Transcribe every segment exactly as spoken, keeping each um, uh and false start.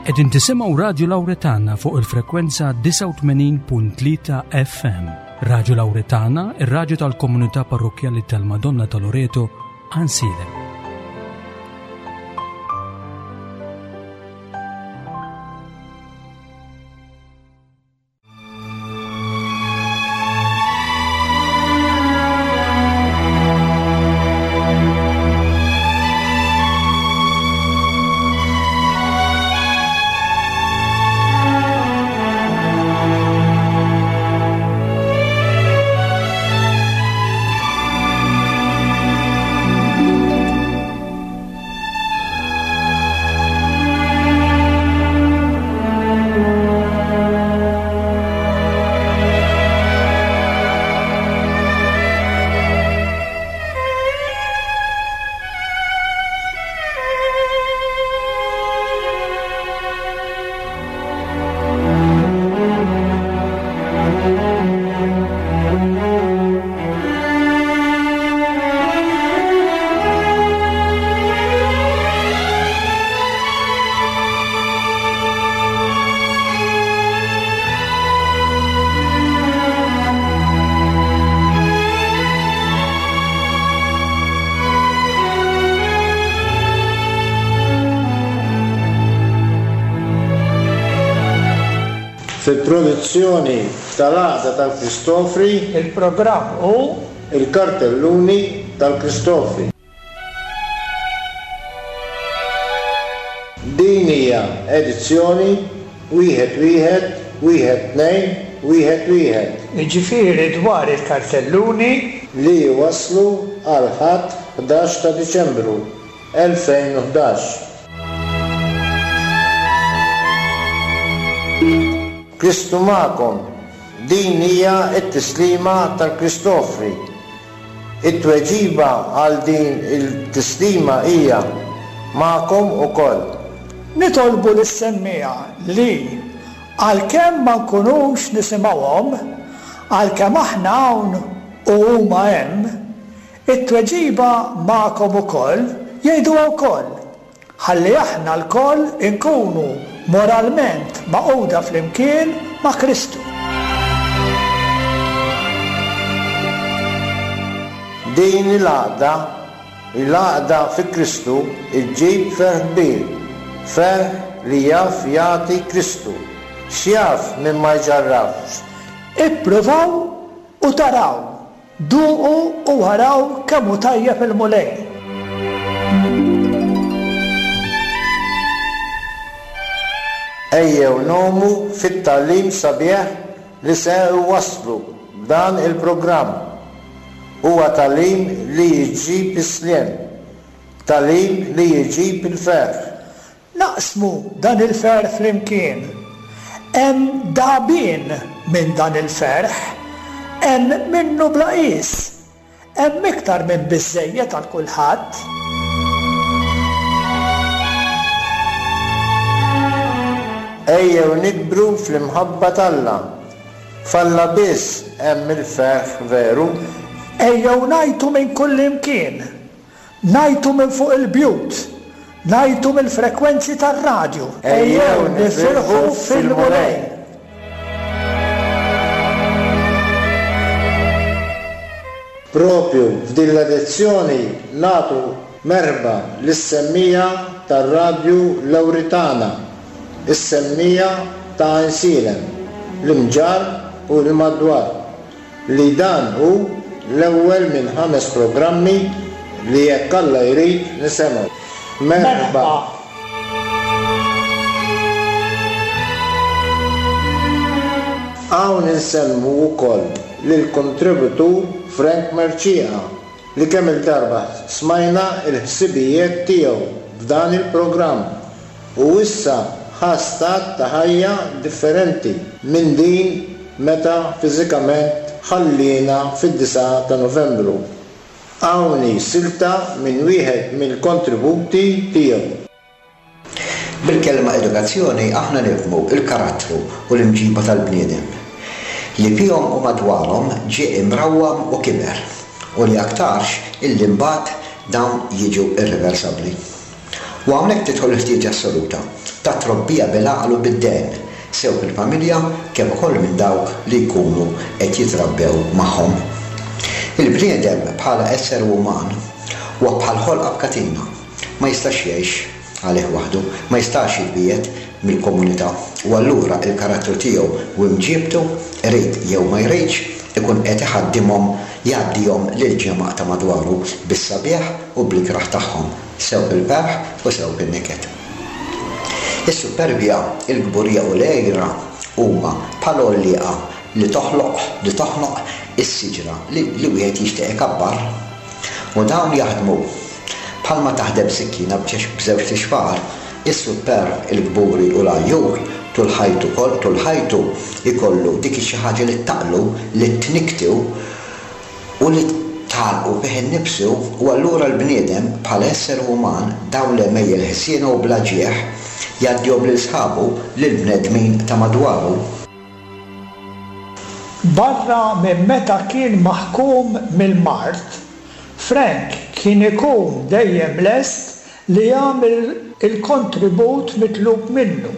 Qegħdin tisimgħu Radju Lawretana fuq il-frekwenza disgħa u tmenin punt tlieta F M. Radju Lawretana, ir-radju tal-komunità parrokkjali tal-Madonna ta' Loreto, Għajnsielem. Fil-produzzjoni tal-Għaqda tal-Kristofri, il-programm hu il-kartelluni tal-Kristofri. Din hija edizzjoni wieħed wieħed wieħed tnejn wieħed wieħed. Jiġifieri dwar il-kartelluni li waslu għal Ħadd ħdax ta' Diċembru elfejn u ħdax. Kristu magħkom, din hija t-tislima tal-Kristofri. It-tweġiba għal din il-tislima hija magħkom ukoll. Nitolbu lis-semmiegħa li għalkemm ma nkunux nisimgħuhom, għalkemm aħna hawn u huma hemm, it-tweġiba magħkom ukoll jgħiduha wkoll, ħalli aħna lkoll inkunu moralment magħquda flimkien ma' Kristu. Din il-għaqda, il-għaqda fi Kristu, iġġib ferħ kbir, ferħ li jaf jagħti Kristu, x'jaf min ma jġarrafx. Ippruvaw u taraw, duqu u waraw kemm hu tajjeb il-Mulej. Ejjew nomu fit-tagħlim sabiħ li se waslu b'dan il-programm. Huwa tagħlim li jġib is-sliem, tagħlim li jġib il-ferħ. Naqsmu dan il-ferħ flimkien. Hemm dagħbien minn dan il-ferħ, hemm minnu bla qies, hemm iktar minn biżżejjed għal kulħadd. Ejjew nikbru fl-imħabba t'Alla. F'Alla biss hemm il-ferħ veru. Ejjew ngħajtu minn kull imkien, ngħajtu minn fuq il-bjut, ngħajtu mill-frekwenzi tar-radju. Ejjew nifirħu fil-Mulej. Propju f'din l-edizzjoni nagħtu merħba lis-semmija tar-Radju Lawritana, is-semmija ta' Għajnsielem, l-Imġarr u l-madwar, li dan hu l-ewwel minn ħames programmi li jekk Alla jrid nisimgħu. Merħba. Hawn insellmu wkoll lill-kontributur Frank Mercieca li kemm il-darba smajna l-ħsibijiet tiegħu f'dan il-programm u issa ħa stat ta' ħajja differenti minn din meta fiżikament ħallina fid-disgħa ta' Novembru. Hawn hi silta minn wieħed mill-kontributi tiegħu. Bil-kelma edukazzjoni aħna nifhmu il-karattru u l-imġiba tal-bniedem li fihom u madwarhom ġie imrawwam u kiber u li aktarx illi mbagħad dawn jiġu irreversabbli. U hawnhekk tidħol il-ħtieġa assoluta ta' trobbija bil-għaqal u bid-dehen, sew fil-familja kif ukoll minn dawk li jkunu qed jitrabbew magħhom. Il-bniedem bħala esseri uman huwa bħal ħolqa b'katina, ma jistax jgħix għalih waħdu, ma jistax jitbiegħed mill-komunità u allura il-karattru tiegħu u imġiebtu irid jew ma jridx ikun qed iħaddimhom jgħaddihom lil ġemgħa ta' madwaru bis-sabiħ u bl-ikrah tagħhom, sew fil-ferħ u sew fin-niket. Is-superbja, il-kburija u l-għira huma bħal għollieqa li toħloq, li toħnoq is-siġra li, li wieħed jixtieq ikabbar. U dawn jaħdmu bħalma taħdem sikkina b'żewġt ixfar, is-superb, il-kburi u l-għajjur tul ħajtu kol, tul ħajtu ikollu dik xi ħaġa li taqlu, li tniktu u li tgħallqu fih innifsu, u allura l-bniedem bħala esseri uman dawn l-għemejjel ħsiena u bla ġieħ jgħaddihom lil sħabu, lil bnedmin ta' madwaru. Barra minn meta kien maħkum mill-mard, Frank kien ikun dejjem lest li jagħmel il-kontribut mitlub minnu.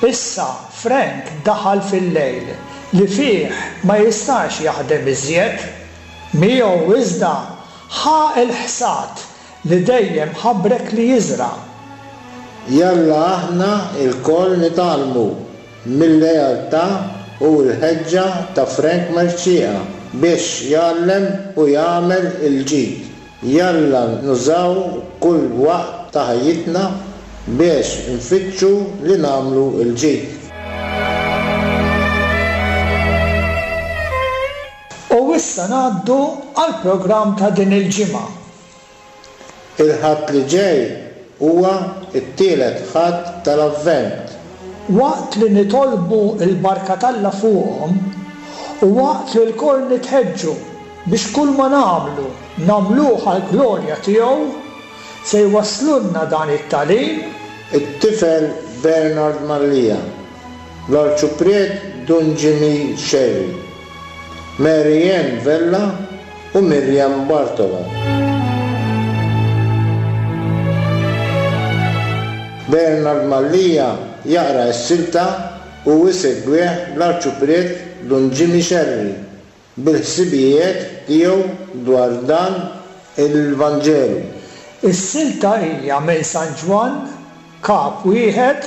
Issa Frank daħal fil-lejl li fih ma jistax jaħdem iżjed. Miegħu iżda ħa l-ħsad li dejjem ħabrek li jiżra'. Jalla aħna lkoll nitgħallmu mill-lealtà u l-ħeġġa ta' Frank Mercieca biex jgħallem u jagħmel il-ġid. Jalla nużaw kull waqt ta' ħajjitna biex nfittxu li nagħmlu l-ġid. U issa ngħaddu għall-programm ta' din il-ġimgħa. Il-Ħadd li ġej huwa t-tielet Ħadd tal-Avvent. Waqt li nitolbu l-barka t'Alla fuqhom u waqt li lkoll nitħeġġu biex kull ma nagħmlu nagħmluh għall-glorja tiegħu, se jwasslulna dan it-tagħlim it-tifel Bernard Mallia, l-Arċipriet Dun Jimmy Scerri, Mary Ann Vella u Miriam Bartolo. Bernard Mallia jaqra s-silta u jsegwih l-Arċipriet Dun Jimmy Scerri bil-ħsibijiet tiegħu dwar dan il-Vanġelu. Is-silta hija minn San Ġwann, kap wieħed,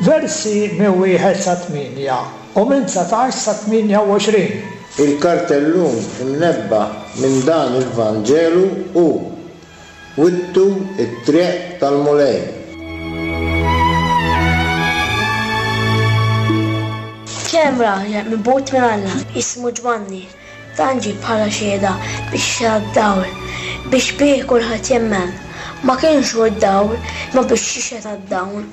versi minn wieħed sa tmienja u minn dsatax sa tmienja u għoxrin. Il-kartellun imnebbaħ minn dan il-Vanġelu hu Wittu it-triq tal-Mulej. Kien hemm raġel mibgħut minn Alla jismu Ġwanni. Dan ġie bħala xhieda biex jixhed għad-dawl, biex bih kulħadd jemmen. Ma kienx hu d-dawl, imma biex jixhed għad-dawl.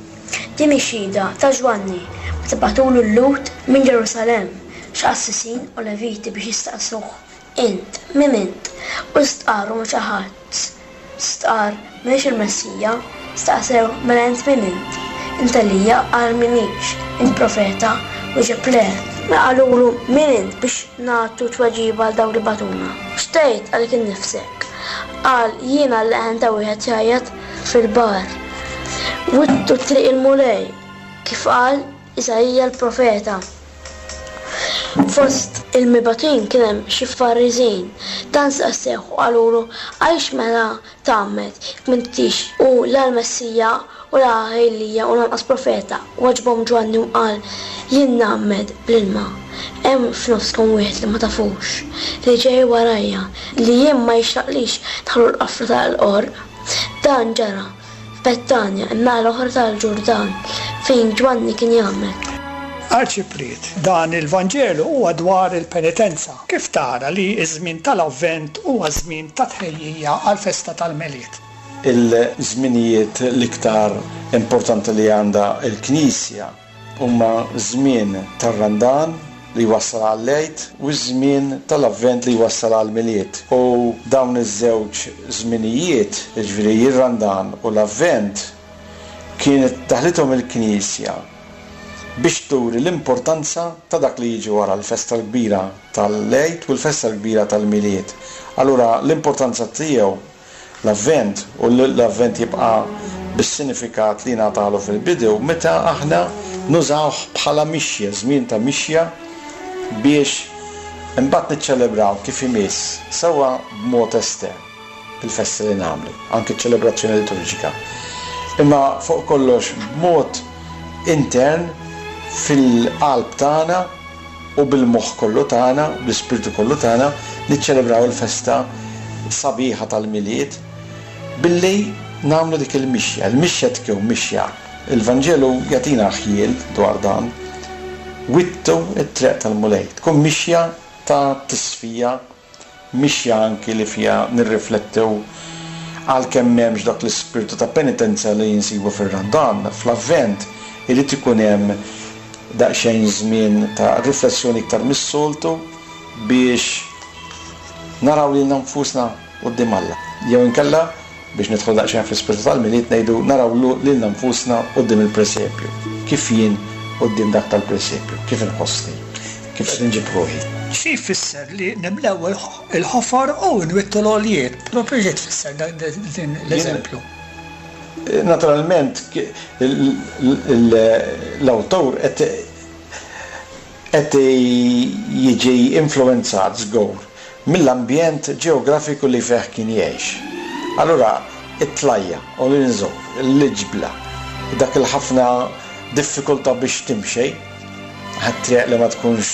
Din hi xhieda ta' Ġwanni meta bagħtulu l-Lhud minn Ġerusalemm xi qassisin u leviti biex jistaqsuh: Int, min int? U stqarru ma' xi ħadd. Stqarr, m'iniex il-Messija. Staqsew, mela int min int? Int Elija? Qal, m'iniex. Int profeta? Wieġeb, le. Mela qalulu, min int biex nagħtu tweġiba għal dawk li bagħtuna? X'tgħid għalik innifsek? Qal, jiena l-leħen ta' wieħed jgħajjat fil-bar. Wittu triq il-Mulej, kif qal Isaija l-profeta. Fost il-mibgħutin kien hemm xi Fariżin. Dan staqsew u qalulu, għaliex mela tgħammed jekk m'intix u la l-Messija u la Elija u lanqas profeta? Weġbhom Ġwanni u qal, jien ngħammed bl-ilma. Hemm f'nofskom wieħed li ma tafux, li ġej warajja, li jien ma jixraqlix nħallu l-qafra tal-qorq. Dan ġara f'Bettanja, in-naħa l-oħra tal-Ġurdan, fejn Ġwanni kien jgħammed. Arċipriet, dan il-Vanġelu huwa dwar il-penitenza. Kif tara li ż-żmien tal-Avvent huwa żmien ta' tħejjija għall-festa tal-Milied? Il-żminijiet l-iktar importanti li għandha l-Knisja huma żmien tar-Randan li jwassal għall-Għid u ż-żmien tal-Avvent li jwassal għall-Milied. U dawn iż-żewġ żminijiet, jiġifieri ir-Randan u l-Avvent, kienet taħlithom il-Knisja biex turi l-importanza ta' dak li jiġi wara l-festa l-kbira tal-Għid u l-festa l-kbira tal-Milied. Allura l-importanza tiegħu l-Avvent, u l-Avvent jibqa' bis-sinifikat li ngħatalu fil-bidu meta aħna nużawh bħala mixja, żmien ta' mixja biex imbagħad niċċelebraw kif imiss sewwa b'mod estern il-festi li nagħmlu, anke ċ-ċelebrazzjoni liturġika. Imma fuq kollox b'mod intern fil-qalb tagħna u bil-moħħ kollu tagħna, bl-ispirtu kollu tagħna, niċċelebraw il-festa sabiħa tal-Milied billi nagħmlu dik il-mixja. Il-mixja tkun mixja. Il-Vanġelu jagħtina ħjiel dwar dan. Wittu it-triq tal-Mulej. Tkun mixja ta' tisfija, mixja anki li fiha nirriflettu għalkemm m'hemmx dak l-ispirtu ta' penitenza li jinsibu fir-Randan, fl-Avvent irid ikun hemm daqsxejn żmien ta' riflessjoni iktar mis-soltu biex naraw lilna nfusna quddiem Alla. Jew inkella biex nidħol daqsxejn fl-ispirtu tal-Milied ngħidu naraw lilna nfusna quddiem il-presepju. Kif jien quddiem dak tal-presepju, kif inħossni, kif qed inġib ruħi. Xi jfisser li nimlew il-ħofor u nwittu l-għoljiet? Propju xi tfisser din l-eżempju? Naturalment l-awtur qed jiġi influenzat żgur mill-ambjent ġeografiku li fih kien jgħix. Allura it-tlajja u l-inżor, l-ġbla, dak il-ħafna diffikultà biex timxi, triq li ma tkunx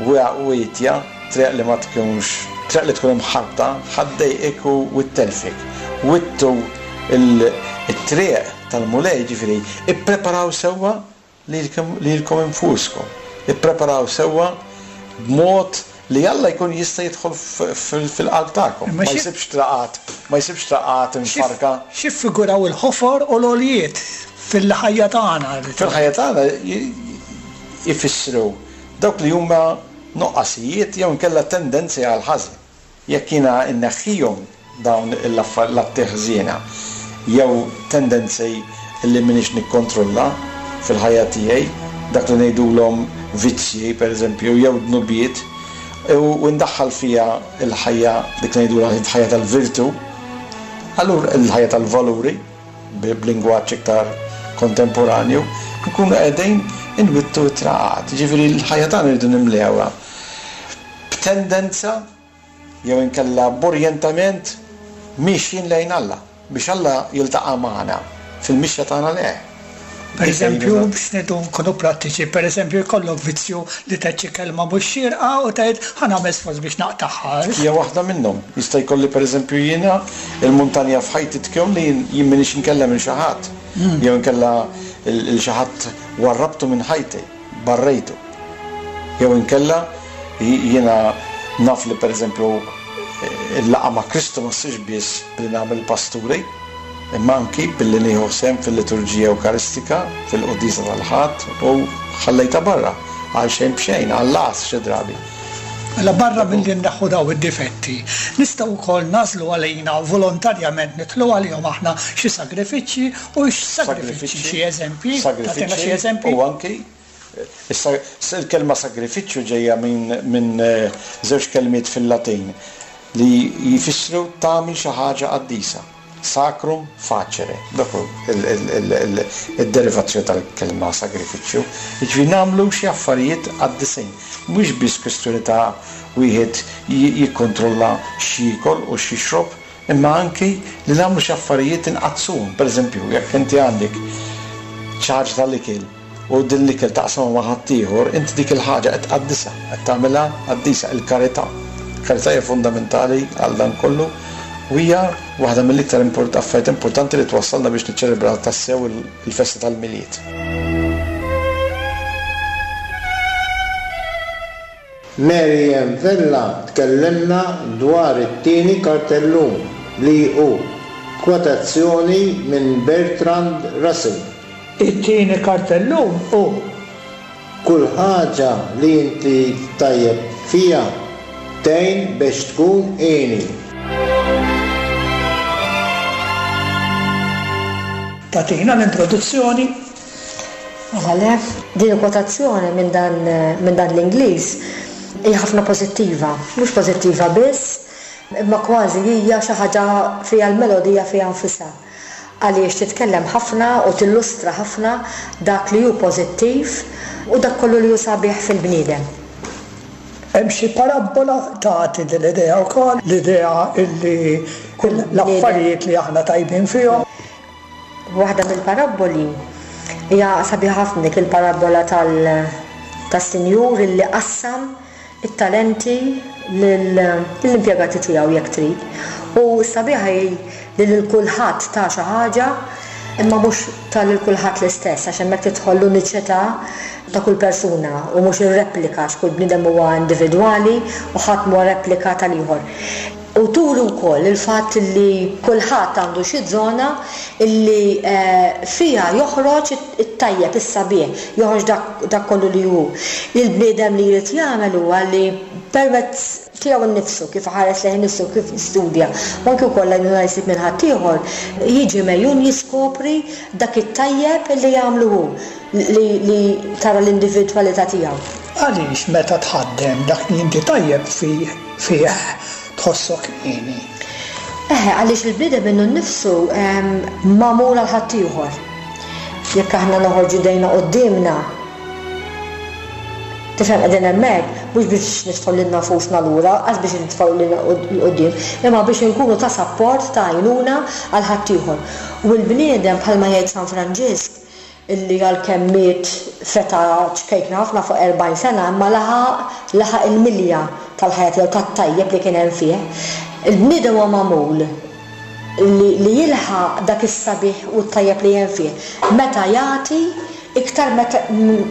wietja, triq li ma tkunx, triq li tkun imħarta, ħaddejqek u ttelfik. Wittu it-triq tal-Mulej, ġifieri, ippreparaw sewwa lilkom infuskom. Ippreparaw sewwa b'mod li Alla jkun jista' jidħol fil-qalb tagħkom. Ma jsibx traqat, ma jsibx traqat imfarka. Xi ffiguraw il-ħofor u l-għoljiet fil-ħajja tagħna? Fil-ħajja tagħna jfissru dawk li huma nuqqasijiet jew inkella tendenzi għal ħażin. Jekk jiena nneħħihom dawn l-atti ħżiena jew tendenzi li m'iniex nikkontrolla fil-ħajja tiegħi, dak li ngħidulhom vizzji pereżempju jew dnubiet, u ndaħħal fija l-ħajja dik li ngħidulha l-ħajja tal-virtu, allura l-ħajja tal-valuri b'lingwaġġ iktar kontemporanju, nkunu qegħdin inwittu t-traqat. Ġifieri l-ħajja tagħna rridu nimlewha b'tendenza jew inkella b'orjentament mixjin lejn Alla biex Alla jiltaqa' magħna fil-mixja tagħna lejh. Per eżempju, biex ngħidu nkunu prattiċi, per eżempju jkollok vizzju li tgħid xi kelma mhux xierqa u tgħid ħa nagħmel sforz biex naqtagħha. Hija waħda minnhom. Jista' jkolli pereżempju jiena il-muntanja f'ħajti tkun li jien m'iniex inkellem lil xi ħadd. Jew inkella lil xi ħadd warrabtu minn ħajti, barrejtu. Jew inkella jiena naf li pereżempju il-laqgħa ma' Kristu ma ssirx biss billi nagħmel pasturi, imma anki billi nieħu sehem fil-liturġija Ewkaristika, fil-quddiesa tal-Ħadd u ħallejta barra għal xejn b'xejn, għall-għas xi drabi. Mela barra milli nneħħu daw id-difetti, nistgħu wkoll nażlu għalina volontarjament nidħlu għalihom aħna xi sagrifiċċji u x'sagrifiċċji, xi eżempji, tagħtina xi eżempji. U anki issa il-kelma sagrifiċċju ġejja minn żewġ kelmiet fil-Latin li jfissru tagħmel xi ħaġa qaddisa. Sacrum facere, dak hu id-derivazzjoni tal-kelma sagrifiċċju. Jiġifieri nagħmlu xi affarijiet qaddisin. Mhux biss kwistjoni ta' wieħed jikkontrolla x'jiekol u x'jixrob, imma anki li nagħmlu xi affarijiet inqaddsuhom. Pereżempju, jekk inti għandek ċarġ tal-ikel u din l-ikel taqsamha ma' ħaddieħor, inti dik il-ħaġa qed tqaddisha, qed tagħmilha qaddisa, il-karità. Il-karità hija fundamentali għal dan kollu u hija waħda mill-iktar affarijiet importanti li twassalna biex niċċelebraw tassew il-festa tal-Milied. Mary Ann Vella tkellimna dwar it-tieni kartellun li hu kwotazzjoni minn Bertrand Russell. It-tieni kartellun hu kull ħaġa li inti tajjeb fija tgħin biex tkun għini. Tagħtina l-introduzzjoni. Mela le, din il-kwotazzjoni minn dan, minn dan l-Ingliż hija ħafna pożittiva, mhux pożittiva biss, imma kważi hija xi ħaġa fiha l-melodija fiha nfisha. Għaliex titkellem ħafna u tillustra ħafna dak li hu pożittiv u dak kollu li hu sabiħ fil-bniedem. Hemm xi parabbola tagħti din l-idea wkoll, l-idea illi l-affarijiet li aħna tajbin fihom. Waħda mill-parabboli hija sabiħa ħafna, dik il-parabbola tas-sinjur illi qassam it-talenti lill-impjegati tiegħu, jekk trid. U sabiħa hi li lil kulħadd ta' xi ħaġa, imma mhux ta' lil kulħadd l-istess, għax hemmhekk tidħol l-uniċità ta' kull persuna u mhux ir-replika, għax kull bniedem huwa individwali u ħadd mhuwa replika tal-ieħor. U turi wkoll il-fatt li kulħadd għandu xi żona illi fiha joħroġ it-tajjeb, is-sabiħ, joħroġ dak kollu li hu. Il-bniedem li jrid jagħmel huwa li permezz tiegħu nnifsu, kif ħares lejn innifsu, kif jistudja, u anke wkoll għajnuna jsib minn ħaddieħor, jiġi mejjun jiskopri dak it-tajjeb li jagħmlu hu, li tara l-individwalità tiegħu. Għaliex meta tħaddem dak li inti tajjeb fih tħossok hieni? Eħe, għaliex il-bniedem minnu nnifsu magħmul għal ħaddieħor. Jekk aħna noħorġu dejna quddiemna, tifhem, qegħdin hemmhekk mhux biex nitfgħu lilna nfusna lura, għax biex nitfgħu lilna 'l quddiem, imma biex inkunu ta' sapport, ta' għajnuna għal ħaddieħor. U l-bniedem, bħalma jgħid San Franġisk, illi għalkemm miet feta ċkejkna ħafna, fuq erbgħin sena, imma laħaq laħaq il-milja tal-ħajja tiegħu, tat-tajjeb li kien hemm fih. Il-bniedem huwa magħmul li, li jilħaq dak is-sabiħ u t-tajjeb li hemm fih meta jagħti iktar meta,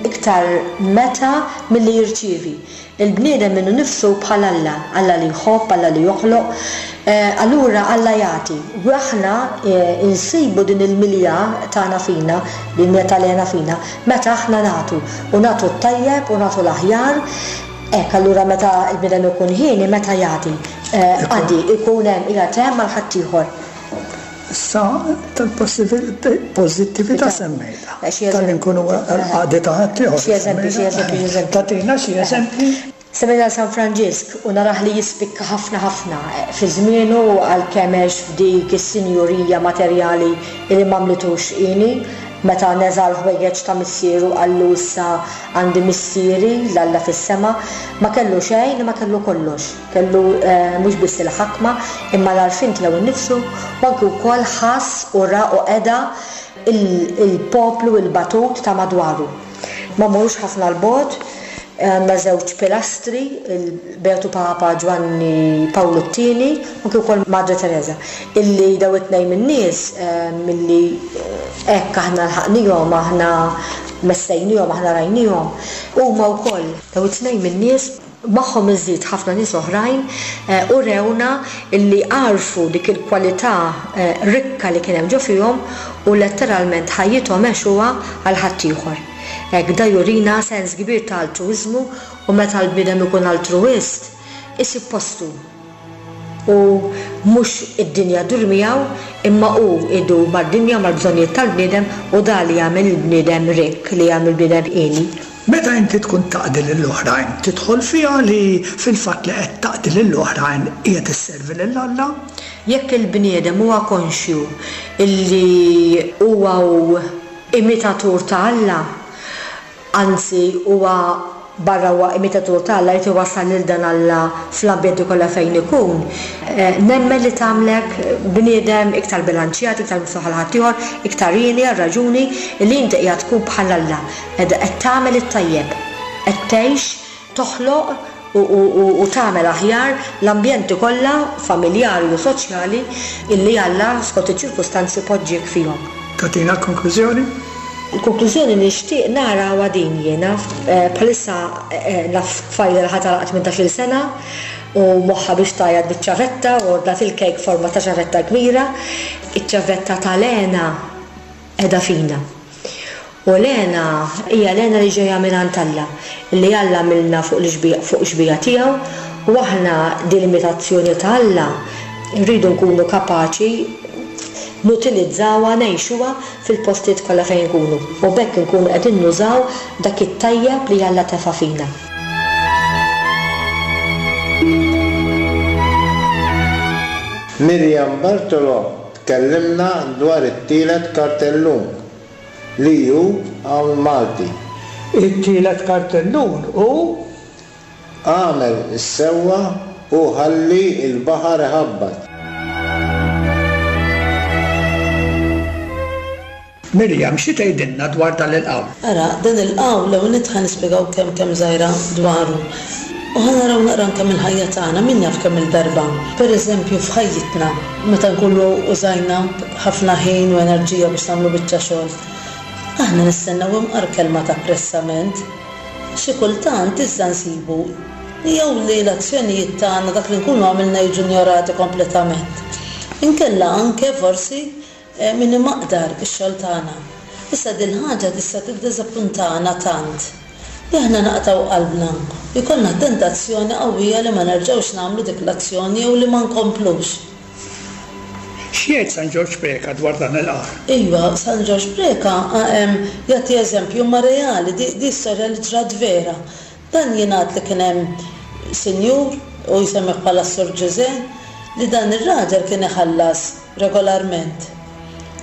iktar meta milli jirċievi. Il-bniedem minnu nifsu bħal Alla, Alla li jħobb, Alla li joħloq, allura Alla jagħti. U aħna insibu din il-milja tagħna fina, din il-milja tal-hena fina, meta aħna nagħtu, u nagħtu t-tajjeb u nagħtu l-aħjar. Hekk, allura meta l-bniedem ikun ħieni, meta jagħti, għaddi ikun hemm qiegħed hemm għal ħaddieħor. Issa tal-pożittività semmejta. Tal-li nkunu għadi ta' ħaddieħor. Xi eżempji, xi eżempji, xi eżempji. Tagħtina xi eżempji? Semmejna San Franġisk u narah li jispikka ħafna ħafna fi żmienu, għalkemm għex f'dik is-sinjurija materjali li m'għamlitux hieni. Meta neża' l-ħwejjeġ ta' missieru qallu issa għandi missieri l-Alla fis-sema, ma kellu xejn, ma kellu kollox. Kellu mhux biss il-ħakma imma l-għarfien tiegħu nnifsu, u anke wkoll ħass u ra u qeda il-poplu, il-batut ta' madwaru. Ma mmorrux ħafna l-bogħod, għandna żewġ pilastri, il-Beatu Papa Ġwanni Pawlu t-tieni u kif ukoll Madre Teresa, illi daw it-tnejn min-nies milli hekk aħna lħaqnihom, aħna messejnihom, aħna rajnihom, huma wkoll daw it-tnejn min-nies magħhom iżid ħafna nies oħrajn u rewna illi għarfu dik il-kwalità rikka li kien hemm ġo fihom u letteralment ħajjithom għexuha għal ħaddieħor. Hekk da jurina sens kbir ta' altruiżmu, u meta l-bniedem ikun altruist isib postu u mhux id-dinja ddur miegħu, imma hu idur mad-dinja, mal-bżonnijiet tal-bniedem, u da li jagħmel il-bniedem rikk, li jagħmel il-bniedem hieni. Meta inti tkun taqdi lill-oħrajn, tidħol fiha li fil-fatt li qed taqdi lill-oħrajn qiegħed isservi lil Alla? Jekk il-bniedem huwa konxju illi huwa hu imitatur ta' Alla, anzi huwa barra huwa imitatur ta' Alla, jrid iwassal lil dan Alla fl-ambjenti kollha fejn ikun, nemmen li tagħmlek bniedem iktar bilanċjat, iktar miftuħ għal ħaddieħor, iktar hieni għal raġuni li inti qiegħed tkun bħal Alla, qed tagħmel it-tajjeb, qed tgħix, toħloq u tagħmel aħjar l-ambjenti kollha familjari u soċjali illi Alla skont iċ-ċirkustanzi poġġiek fihom. Tagħtina l-konklużjoni? Il-konklużjoni nixtieq nara huwa din jiena, bħalissa naf tfajla li ħadd għalaqt tmintax-il sena u moħħha biex tgħajjat biċ-ċavetta u ordnat il-kejk forma ta' ċavetta kbira. Iċ-ċavetta tal-hena qiegħda fina. U l-hena hija l-hena li ġejja mingħand Alla, li Alla għamilna fuq l-xbija, fuq xbija tiegħu, u aħna din l-imitazzjoni ta' Alla rridu nkunu kapaċi nutilizzawha, ngħixuha fil-postijiet kollha fejn nkunu, u b'hekk nkunu qegħdin nużaw dak it-tajjeb li Alla tefa' fina. Miriam Bartolo tkellimna dwar it-tielet kartellun li hu qawl Malti. It-tielet kartellun hu Agħmel is-sewwa u ħalli l-baħar iħabbat. Mirjam, xi tgħidilna dwar dan il-qawl? Ara, dan il-qawl l-ewwel nett ħa nispjegaw kemm kemm żgħira dwaru. U ħa naraw naqra anke mill-ħajja tagħna, min jaf kemm il-darba. Pereżempju f'ħajjitna, meta nkunu użajna ħafna ħin u enerġija biex nagħmlu biċċa xogħol, aħna nistennew imqar kelma ta' apprezzament. Xi kultant iżda nsibu jew li l-azzjonijiet tagħna dak li nkunu għamilna jiġu injorati kompletament. Inkella anke forsi min imaqdar ix-xogħol tagħna. Issa din ħaġa tista' tiddiżappuntana tant li aħna naqtgħu qalbna u jkollna tentazzjoni qawwija li ma nerġgħux nagħmlu dik l-azzjoni jew li ma nkomplux. X'jgħid San Ġorġ Preca dwar dan il-qawl? Iva, San Ġorġ Preca jagħti eżempju ma reali, di, di storja li ġrat vera. Dan jingħad li kien hemm sinjur u jsemmih bħala Sur Ġużè, li dan ir-raġel kien iħallas regolarment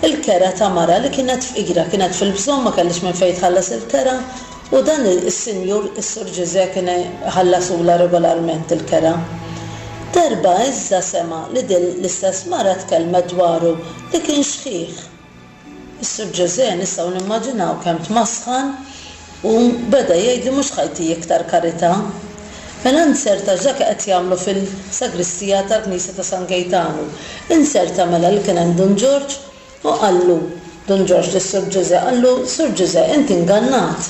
il-kera ta' mara li kienet fqira, kienet fil-bżonn, ma kellix minn fejn tħallas il-kera, u dan is-sinjur, is-Sur Ġużè, kien iħallasula regolarment il-kera. Darba iżda sema' li din l-istess mara tkellmet dwaru li kien xħiħ. Is-Sur Ġużè nistgħu nimmaġinaw kemm tmasħan u beda jgħid li mhux ħajti iktar karità. Mela nserta dak qed jagħmlu fil-sagristija tal-Knisja ta' San Gejtanu. Inserta mela li kien hemm Dun Ġorġ u qallu Dun Ġorġ lis-Sur Ġużè, qallu Sur Ġużè inti ingannat.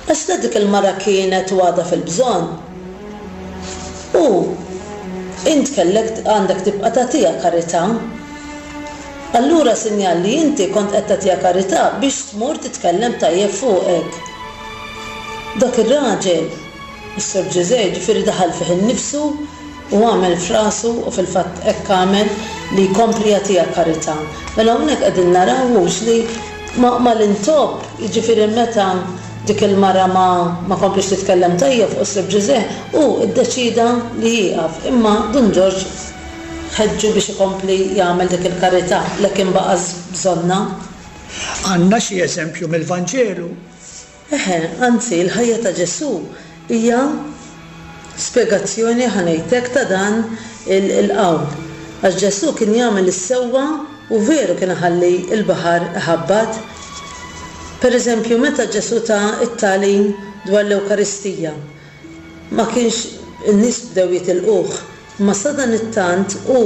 Għax la dik il-mara kienet u għadha fil-bżonn. U int kellek għandek tibqa' tagħtiha karità. Allura sinjal li inti kont qed tagħtiha karità biex tmur titkellem tajjeb fuqek. Dak ir-raġel, is-Sur Ġużè, ġifieri daħal fih innifsu u għamel f'rasu u fil-fatt hekk għamel li jkompli jagħtiha karità. Mela hawnhekk qegħdin naraw hux li ma, ma l-intopp, jiġifieri meta dik il-mara ma, ma komplix titkellem tajjeb fuq is-Sur Ġużè, hu ddeċida li jieqaf, imma Dun Ġorġ ħeġġu biex ikompli jagħmel dik il-karità li kien baqa' bżonna. Għandna xi eżempju mill-Vanġelu? Eħe, anzi, l-ħajja ta' Ġesù hija spjegazzjoni ħanejtek ta' dan il-qawl. Għax Ġesù kien jagħmel is-sewwa u veru kien iħalli l-baħar iħabbat. Per eżempju, meta Ġesù ta t-tagħlim dwar l-Ewkaristija, ma kienx in-nies bdew jitilquh, imma sadanittant hu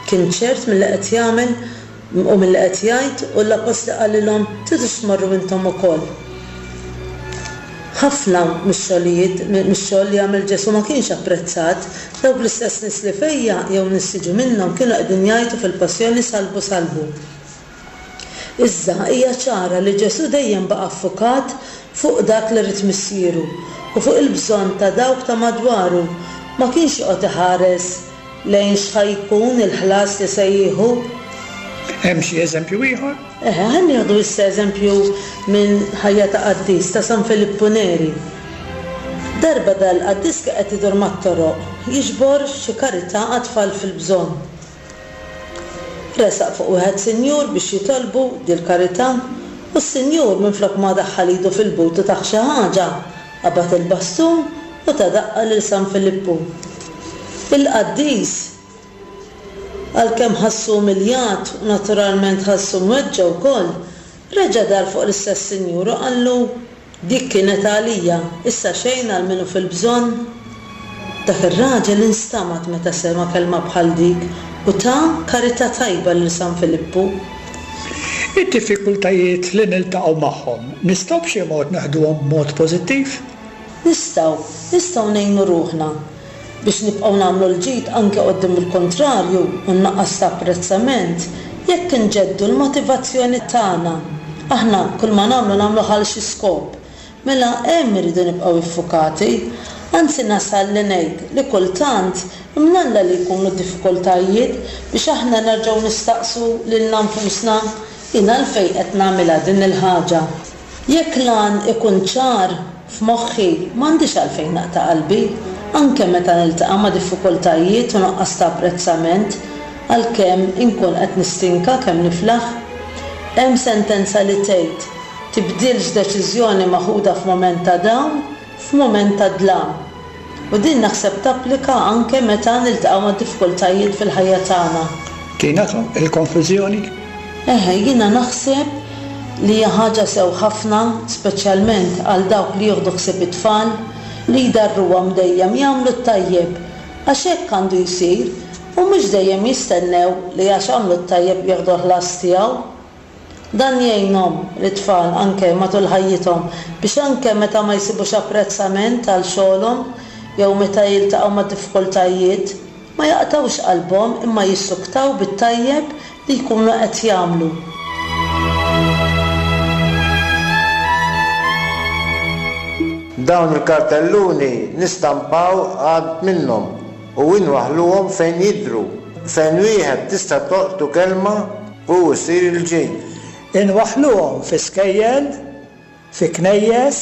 kien ċert milli qed jagħmel u milli qed jgħid, u l-appostli qalilhom tridux tmorru intom ukoll. Ħafna mix-xogħlijiet, mix-xogħol li għamel Ġesù ma kienx apprezzat. Dawk l-istess nies li fejja jew nies jiġu minnhom kienu qegħdin jgħidu fil-passjoni salbu salbu. Iżda hija ċara li Ġesù dejjem baqa' affukat fuq dak li rid missieru u fuq il-bżonn ta' dawk ta' madwaru. Ma kienx joqgħod iħares lejn x'ħajkun il-ħlas li se jieħu. Hemm xi eżempju ieħor? Eħe, ħa nieħdu issa eżempju minn ħajja ta' qaddis ta' San Filippu Neri. Darba dal-qaddis kien qed idur mat-toroq jiġbor xi karità għat-tfal fil-bżonn. Resaq fuq wieħed sinjur biex jitolbu dil-karità, u s-sinjur minflok ma daħħal idu fil-but u tah xi ħaġa, qabad il-bastun u ta daqqa lil San Filippu. Il-qaddis għalkemm ħassu umiljat u naturalment ħassu mweġġa' wkoll, reġa' dar fuq l-istess sinjur u qallu dik kienet għalija, issa xejn għal minnu fil-bżonn. Dak ir-raġel instamat meta sema' kelma bħal dik u ta karità tajba lil San Filippu. Id-diffikultajiet li niltaqgħu magħhom nistgħu b'xi mod naħduhom b'mod pożittiv? Nistgħu, nistgħu ngħinu ruħna biex nibqgħu nagħmlu l-ġid anke quddiem il-kontrarju u nnaqqas ta' apprezzament jekk inġeddu l-motivazzjoni tagħna. Aħna kull ma nagħmlu nagħmlu ħal xi skop. Mela hemm irridu nibqgħu iffukati. Anzi nasal li ngħid li kultant imnalla li jkunu diffikultajiet biex aħna nerġgħu nistaqsu lilna nfusna jien għalfejn qed nagħmilha din il-ħaġa. Jekk lan ikun ċar f'moħħi m'għandix għalfejn naqta' qalbi, anke meta niltaqa' ma' diffikultajiet u nuqqas ta' apprezzament, għalkemm inkun qed nistinka kemm niflaħ. Hemm sentenza li tgħid tibdilx deċiżjoni maħuda f'mument ta' dawn, f'mument ta' dlam. U din naħseb tapplika anke meta niltaqgħu ma' diffikultajiet fil-ħajja tagħna. Tina, il-konklużjoni? Eħe, jiena naħseb li hija ħaġa sew ħafna, speċjalment għal dawk li jieħdu ħsieb it-tfal, li jdarruhom dejjem jagħmlu t-tajjeb, għax hekk għandu jsir u mhux dejjem jistennew li għax għamlu t-tajjeb jieħdu ħlas tiegħu. Dan jgħinhom l-tfal anke matul ħajjithom biex anke meta ma jsibux apprezzament għal xogħolhom jew meta jiltaqgħu ma' diffikultajiet, ma jaqtgħux qalbhom imma jissuktaw bit-tajjeb li jkunu qed jagħmlu. Dawn il-kartelluni nistampaw għad minnhom u inwaħħluhom fejn jidhru, fejn wieħed tista' tolqtu kelma u jsir il-ġid. Inwaħħluhom fi skejjel, fi knejjes,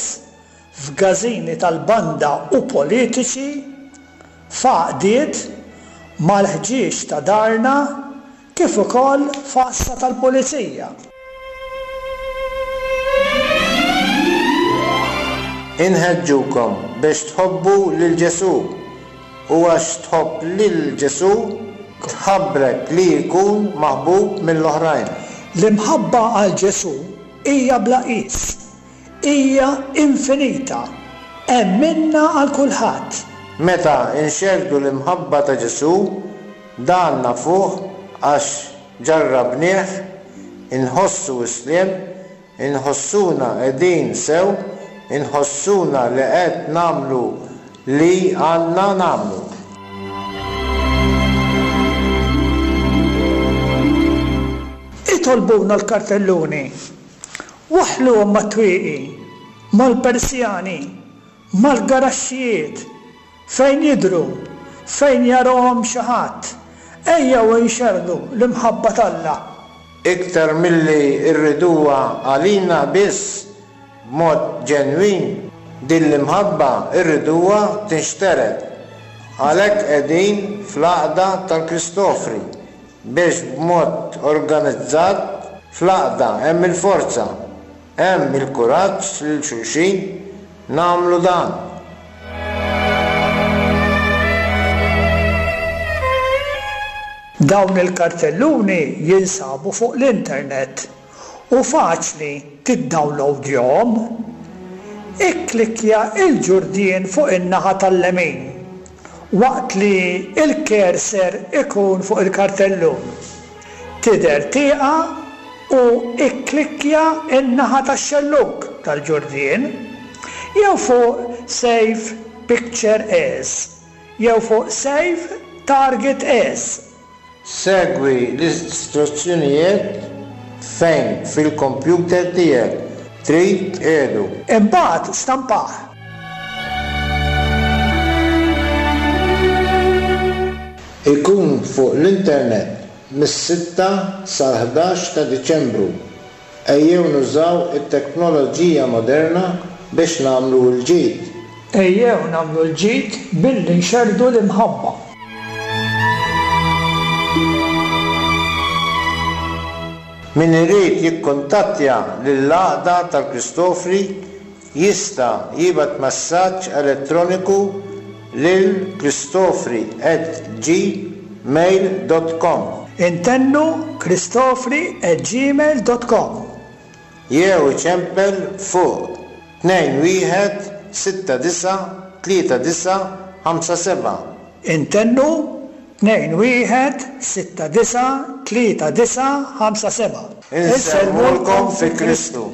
f'gażini tal-banda u politiċi, f'għaqdiet, mal-ħġieġ ta' darna, kif ukoll f'għassa tal-pulizija. Inħeġġukom biex tħobbu lil Ġesù u għax tħobb lil Ġesù tħabbrek li jkun maħbub mill-oħrajn. L-imħabba għal Ġesù hija bla qis, hija infinita, hemm minnha għal kulħadd. Meta nxerrdu l-imħabba ta' Ġesù, dan nafuh għax ġarrabnieh, inħossu s-sliem, inħossuna qegħdin sew, inħossuna li qed nagħmlu li għandna nagħmlu. Itolbuna l-kartelluni, waħħluhom mat-twieqi, mal-persjani, mal-garaxxijiet, fejn jidhru, fejn jarahom xi ħadd, ejjew inxerrdu l-imħabba t'Alla. Iktar milli rriduha għalina biss b'mod ġenwin, din l-imħabba rriduha tinxtered. Għalhekk qegħdin fl-għaqda tal-Kristofri biex b'mod organizzat fl-għaqda hemm il-forza, hemm il-kuraġġ lil xulxin nagħmlu dan. Dawn il-kartelluni jinsabu fuq l-internet u faċli tiddownloadjahom. Ikklikkja il-ġurdien fuq in-naħa tal-lemin waqt li il-cursor ikun fuq il-kartellun. Tidher tieqa u ikklikkja in-naħa tax-xellug tal-ġurdien jew fuq Save Picture As jew fuq Save Target As. Segwi l-istruzzjonijiet fejn fil-kompjuter tiegħek trid tqiegħdu. Imbagħad stampah. Ikun fuq l-internet mis-sitta sal-ħdax ta' Diċembru. Ejjew nużaw it-teknoloġija moderna biex nagħmlu l-ġid. Ejjew nagħmlu l-ġid billi nxerrdu l-imħabba. Min irid jikkuntattja lill-għaqda tal-Kristofri jista' jibgħat messaġġ elettroniku lil kristofri at gmail dot com. Intennu kristofri at gmail dot com. Jew iċempel fuq tnejn wieħed sitta disa' tlieta disa' ħamsa seba'. Intennu tnejn wieħed sitta disa' tlieta disa' ħamsa seba'. Insellmulkom fi Kristu.